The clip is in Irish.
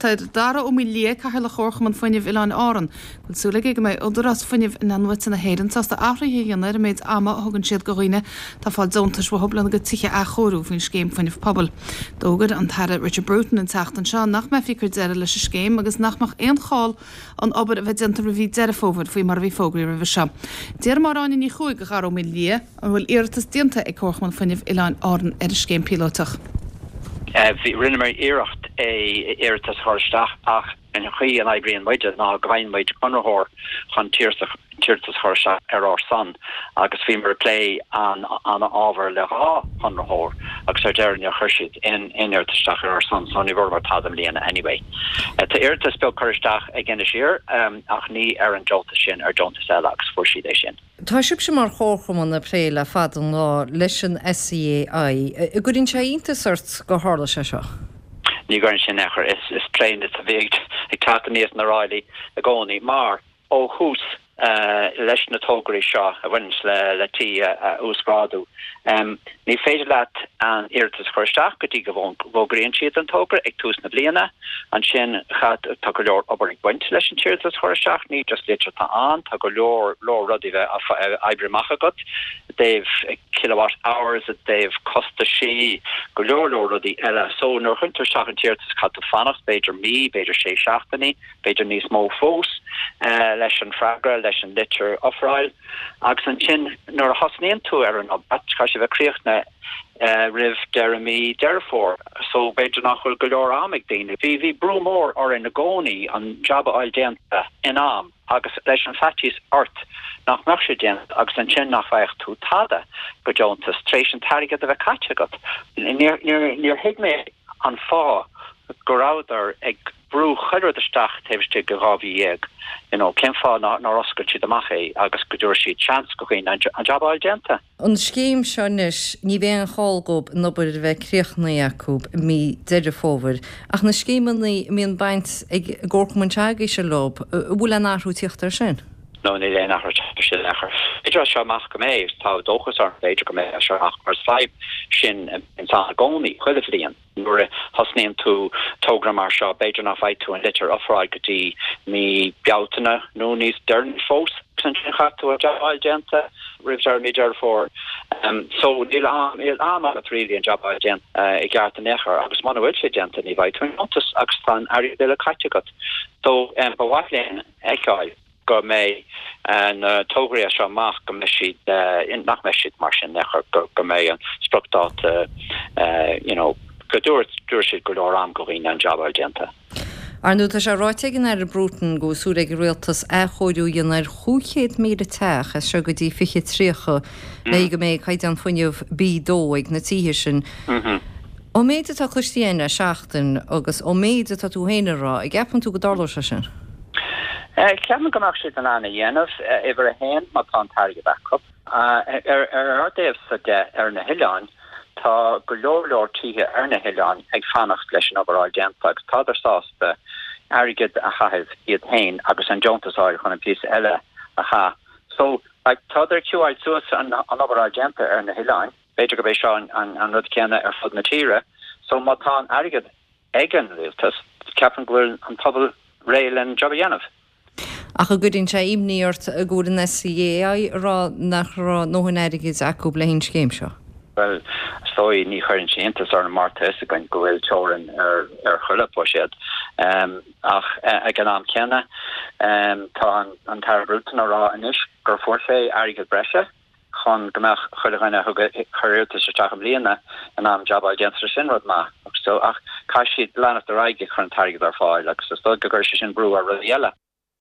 Deir Dara Ó Maoildhia, Cathaoirleach Chomharchumann Fuinnimh Oileáin Árann, go bhfuil súil aige go mbeidh Údarás Fuinnimh Inathnuaite na hÉireann sásta athruithe a dhéanamh ar an méid ama a thugann siad do dhaoine atá ag fáil deontais uathu lena gcuid tithe a athchóiriú faoin scéim Fuinneamh Pobail. D'fhógair an tAire Richard Bruton an tseachtain seo nach mbeifí ag cur deireadh leis an scéim agus nach mbeadh aon chall an obair a bheith déanta roimh mhí Deireadh Fómhair faoi mar a bhí fógraithe roimhe seo. D'iarr Máire Áine Ní Chuaig de Dhara Ó Maoildhia, An bhfuil iarratas déanta ag Comharchumann Fuinnimh Oileáin Árann ar an scéim píolótach? Bhí, rinneamar iarracht é iarratas a chur isteach ach an chaoi a n-oibríonn muide ná go bhfaigheann muid conraitheoir chun iarratas a chur isteach ar ár son agus bhíomar ag plé an an ábhar le dhá chonraitheoir agus ar deireadh níor chuir siad aon iarratas isteach ar ár son so ní bhfuaireamar tada i mbliana anyway. Tá iarratas beag curtha isteach ag Inis Oírr ach ní ar an deontas sin, ar deontas eile agus fuair siad é sin. Tá sibhse mar chomharchumann ag plé le fada an lá leis an SEAI. An gcuireann sé iontas ort gur tharla sé seo? Ní gcuireann sé in aon chor. Is plé a bhí ag teacht aníos na ráillí i gcónaí mar ó thús leis na tograí seo a bhaineanns le tí a uasghrádú. Ní féidir leat an iarratas a chur isteach go dtí go bhfógraíonn siad an togra ag tús na bliana. Ansin tá go leor obair ag baint leis an t-iarratas a chur isteach, ní just litir atá ann, tá go leor leor rudaí bheith á oibriú amach agat i dtaobh kilowatt hours, i dtaobh costaisí, go leor leor rudaí eile. So nuair a chuireann tú isteach an t-iarratas caithfidh tú fanacht b'fhéidir mí, b'fhéidir sé seachtainí, b'fhéidir níos mó fós leis an freagra, leis an litir ofráil. Agus ansin nuair a thosnaíonn tú ar an obair, caithfidh sé bheith críochnaithe roimh deireadh mí Deireadh Fómhair so b'fhéidir nach bhfuil go leor am ag daoine. Bhí bhí brú mór orainn i gcónaí an jab a fháil déanta in am agus leis an faitíos ort nach mbeadh sé déanta agus ansin nach bhfaigheadh tú tada go deontas tar éis an t-airgead a bheith caite agat. Níor níor níor thuig mé an fáth go rabhadar ag brú chuile rud isteach taobh istigh de 12 mhí, you know, cén fáth nár oscail siad amach é agus go dtabharfaidh siad seans go dhaoine an jab a fháil déanta? An scéim seo anois, ní bheidh aon chall dhób an obair a bheith críochnaithe acu i mí Deireadh Fómhair, ach na scéimeanna a mbíonn baint ag an gcomharchumann s'agaibhse leo, an bhfuil aon athrú ag tíocht air sin? No, níl aon athrú ag teacht air sin in aon chor. B'fhéidir as seo amach go mbeidh, tá dóchas orm, b'fhéidir go mbeidh as seo amach, mar is fadhb sin a bhíonns ann i gcónaí, chuile bhliain. Nuair a thosnaíonn tú togra mar seo, b'fhéidir nach bhfaighidh tú an litir ofráil go dtí mí Bealtaine nó níos deireanaí fós, agus ansin caithfidh tú an jab a fháil déanta roimh deireadh mí Deireadh Fómhair. So níl am, níl am agat really an jab a fháil déanta i gceart in aon chor agus muna bhfuil sé déanta ní bhfaighidh tú an deontas agus tá an airgead uile caite agat. So ba mhaith linn a fheiceáil. go mbeidh na tograí as seo amach, go mbeidh siad, nach mbeidh siad mar sin in aon chor, go mbeidh an spriocdháta, you know, go dtabharfaidh siad go leor am go dhaoine an jab a fháil déanta. Ar ndóigh, tá sé ráite ag an Aire Bruton go bhfuil súil ag an Rialtas athchóiriú a dhéanamh ar 500,000 teach as seo go dtí 2030 le go mbeidh caighdeán fuinnimh B2 ag na tithe sin. Ón méid atá cloiste againn le seachtain agus ón méid atá tú féin a rá, an gceapann tú go dtarlóidh sé sin? Ceapaim go mbeadh siad in ann a dhéanamh, uimhir a haon, má tá an t-airgead acu. Ar ár dtaobhsa de, ar na hoileáin, tá go leor leor tithe ar na hoileáin ag fanacht leis an obair a fháil déanta agus tádar sásta airgead a chaitheamh iad féin agus an deontas a fháil chun an píosa eile a chaith. So, like, tádar ag queueáil suas an obair a fháil déanta ar na hoileáin. B'fhéidir gurb é seo an rud céanna ar fud na tíre. So má tá an airgead ag an rialtas, ceapaim go bhfuil an pobal réidh len job a dhéanamh. Ach an gcuireann sé imní ort go bhfuil an SEAI ag rá nach raibh a ndóthain airgid acu le haghaidh an scéim seo? Bhuel, is dóigh, ní chuireann sé iontas orm mar tá fhios againn go bhfuil teorainn ar chuile bhuiséad. Ach ag an am céanna, tá an tAire Bruton ag rá anois gur fuair sé airgead breise. chun go mbeadh chuile dhuine a thug a chuir iarratas isteach i mbliana in ann jab a fháil déanta. Sin rud maith. So, ach caithfidh siad leanacht ar aghaidh ag cur an t-airgead ar fáil agus is dóigh go gcuirfidh sé sin brú ar rudaí eile.